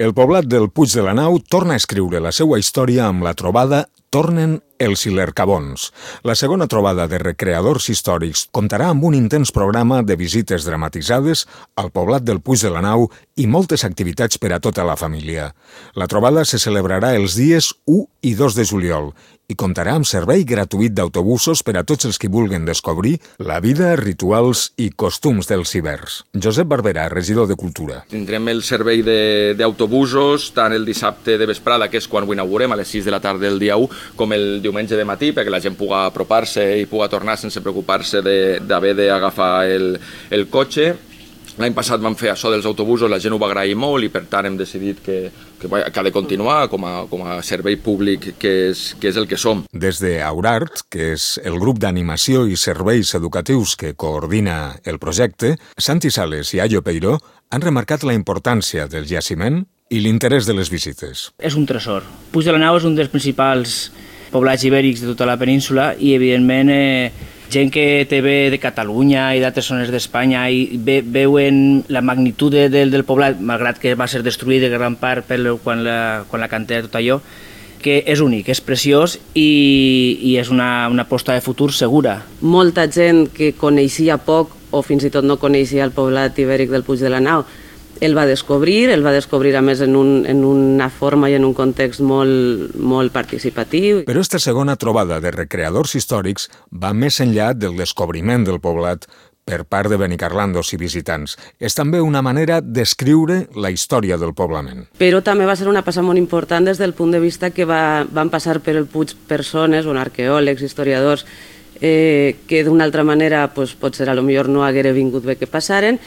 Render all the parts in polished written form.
El poblat del Puig de la Nau torna a escriure la seva història amb la trobada Tornen els Ilercabons. La segona trobada de recreadors històrics comptarà amb un intens programa de visites dramatitzades al poblat del Puig de la Nau i moltes activitats per a tota la família. La trobada se celebrarà els dies 1 i 2 de juliol i comptarà amb servei gratuït d'autobusos per a tots els que vulguin descobrir la vida, rituals i costums dels ibers. Josep Barberà, regidor de Cultura. Tindrem el servei d'autobusos tant el dissabte de vesprada, que és quan ho inaugurem, a les 6 de la tarda del dia 1, com el diumenge de matí, perquè la gent pugui apropar-se i pugui tornar sense preocupar-se d'haver d'agafar el cotxe. L'any passat vam fer això dels autobusos, la gent ho va agrair molt i per tant hem decidit que ha de continuar com a servei públic que és el que som. Des d'Aurart, que és el grup d'animació i serveis educatius que coordina el projecte, Santi Sales i Ayo Peiró han remarcat la importància del jaciment i l'interès de les visites. És un tresor. Puig de la Nau és un dels principals poblats ibèrics de tota la península i, evidentment, gent que té ve de Catalunya i d'altres zones d'Espanya i veuen la magnitud del poblat, malgrat que va ser destruït de gran part quan la cantera tot allò, que és únic, és preciós i és una aposta de futur segura. Molta gent que coneixia poc o fins i tot no coneixia el poblat ibèric del Puig de la Nau el va descobrir a més en una forma i en un context molt participatiu. Però esta segona trobada de recreadors històrics va més enllà del descobriment del poblat per part de benicarlandos i visitants. És també una manera d'escriure la història del poblament. Però també va ser una passa molt important des del punt de vista que van passar per el Puig persones, arqueòlegs, historiadors, que d'una altra manera potser potser no haguera vingut bé que passaren,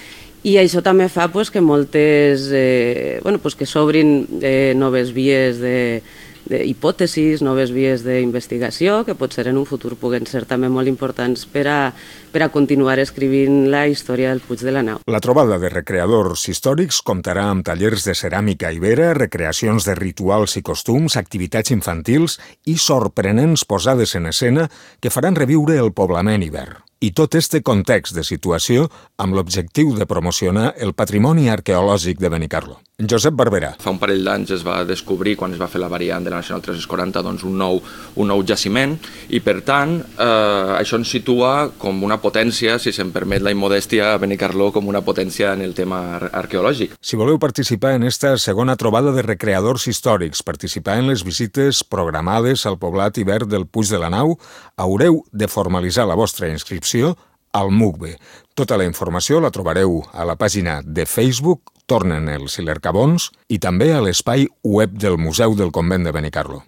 i això també fa que moltes, que s'obrin noves vies d'hipòtesis, noves vies d'investigació, que potser en un futur puguen ser també molt importants per a continuar escrivint la història del Puig de la Nau. La trobada de recreadors històrics comptarà amb tallers de ceràmica ibera, recreacions de rituals i costums, activitats infantils i sorprenents posades en escena que faran reviure el poblament iber. I tot este context de situació amb l'objectiu de promocionar el patrimoni arqueològic de Benicarló. Josep Barberà. Fa un parell d'anys es va descobrir, quan es va fer la variant de la Nacional 340, un nou jaciment i, per tant, això ens situa com una potència, si se'm permet la immodèstia, a Benicarló com una potència en el tema arqueològic. Si voleu participar en esta segona trobada de recreadors històrics, participar en les visites programades al poblat ibèric del Puig de la Nau, haureu de formalitzar la vostra inscripció al MUCBE. Tota la informació la trobareu a la pàgina de Facebook Tornen els Ilercabons i també a l'espai web del Museu del Convent de Benicarló.